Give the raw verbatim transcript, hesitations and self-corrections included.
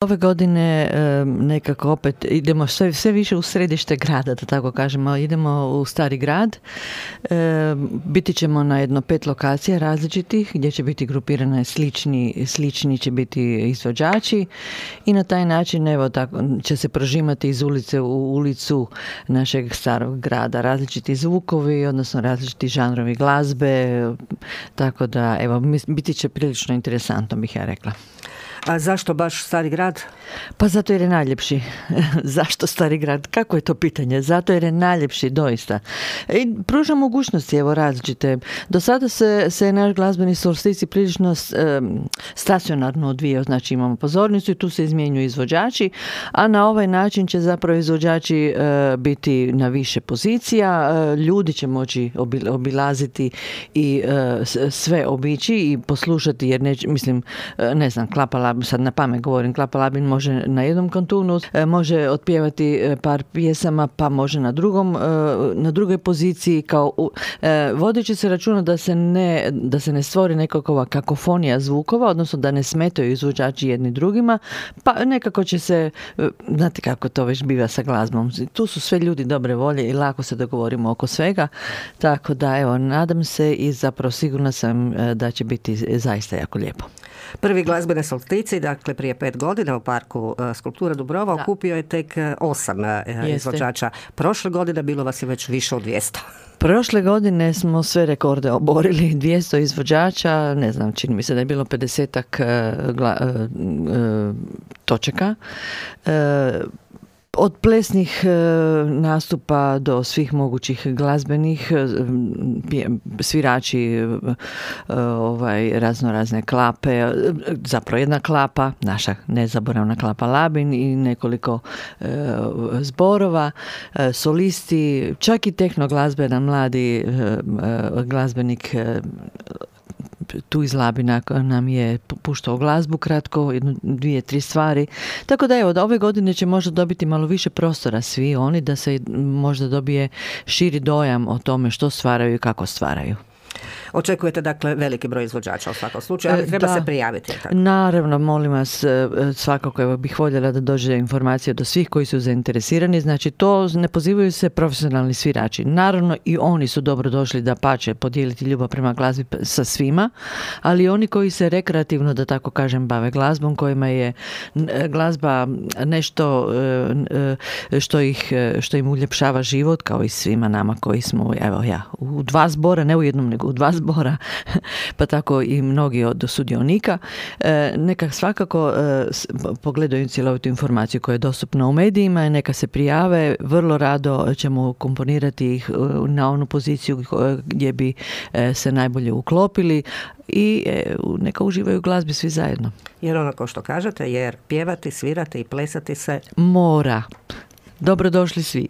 Ove godine nekako opet idemo sve, sve više u središte grada, da tako kažemo. Idemo u Stari grad. Biti ćemo na jedno pet lokacija različitih gdje će biti grupirane slični, slični će biti izvođači i na taj način evo tako će se prožimati iz ulice u ulicu našeg starog grada. Različiti zvukovi, odnosno različiti žanrovi glazbe, tako da evo biti će prilično interesantno, bih ja rekla. A zašto baš Stari grad? Pa zato jer je najljepši. Zašto Stari grad? Kako je to pitanje? Zato jer je najljepši, doista. I pruža mogućnosti, evo, različite. Do sada se, se naš glazbeni solstici prilično stacionarno odvijao, znači imamo pozornicu i tu se izmjenjuju izvođači, a na ovaj način će zapravo izvođači e, biti na više pozicija, e, ljudi će moći obilaziti i e, sve obići i poslušati, jer neće, mislim, ne znam, Klapa Labin, sad na pamet govorim, Klapa Labin može na jednom kantunu, može otpjevati par pjesama, pa može na drugom, na drugoj poziciji, kao vodeći se računa da se ne, da se ne stvori nekakva kakofonija zvukova, odnosno da ne smetaju izvođači jedni drugima, pa nekako će se, znate kako to već biva sa glazbom. Tu su sve ljudi dobre volje i lako se dogovorimo oko svega, tako da evo, nadam se i zapravo sigurna sam da će biti zaista jako lijepo. Prvi glazbene solstici, dakle prije pet godina u parku Skulptura Dubrova, da. Okupio je tek osam Jeste. izvođača. Prošle godine bilo vas je već više od dvjesto. Prošle godine smo sve rekorde oborili, dvjesto izvođača, ne znam, čini mi se da je bilo pedesetak gla, uh, točaka. Uh, Od plesnih e, nastupa do svih mogućih glazbenih, e, svirači, e, ovaj, razno razne klape, e, zapravo jedna klapa, naša nezaboravna Klapa Labin i nekoliko e, zborova, e, solisti, čak i tehno glazbena, mladi e, e, glazbenik e, tu iz Labina nam je puštao glazbu kratko, jednu, dvije, tri stvari. Tako da evo, da ove godine će možda dobiti malo više prostora svi oni, da se možda dobije širi dojam o tome što stvaraju i kako stvaraju. Očekujete dakle veliki broj izvođača u svakom slučaju, ali treba da, se prijaviti. Tako. Naravno, molim vas, svakako evo, bih voljela da dođe informacija do svih koji su zainteresirani. Znači, to ne pozivaju se profesionalni svirači. Naravno, i oni su dobro došli da pače podijeliti ljubav prema glazbi sa svima, ali oni koji se rekreativno, da tako kažem, bave glazbom, kojima je glazba nešto što, ih, što im uljepšava život, kao i svima nama koji smo, evo ja, u dva zbora, ne u jednom, nego u dva zbora, pa tako i mnogi od sudionika, neka svakako pogledaju cjelovitu informaciju koja je dostupna u medijima, neka se prijave, vrlo rado ćemo komponirati ih na onu poziciju gdje bi se najbolje uklopili i neka uživaju u glazbi svi zajedno. Jer ono ko što kažete, jer pjevati, svirati i plesati se mora. Dobrodošli svi.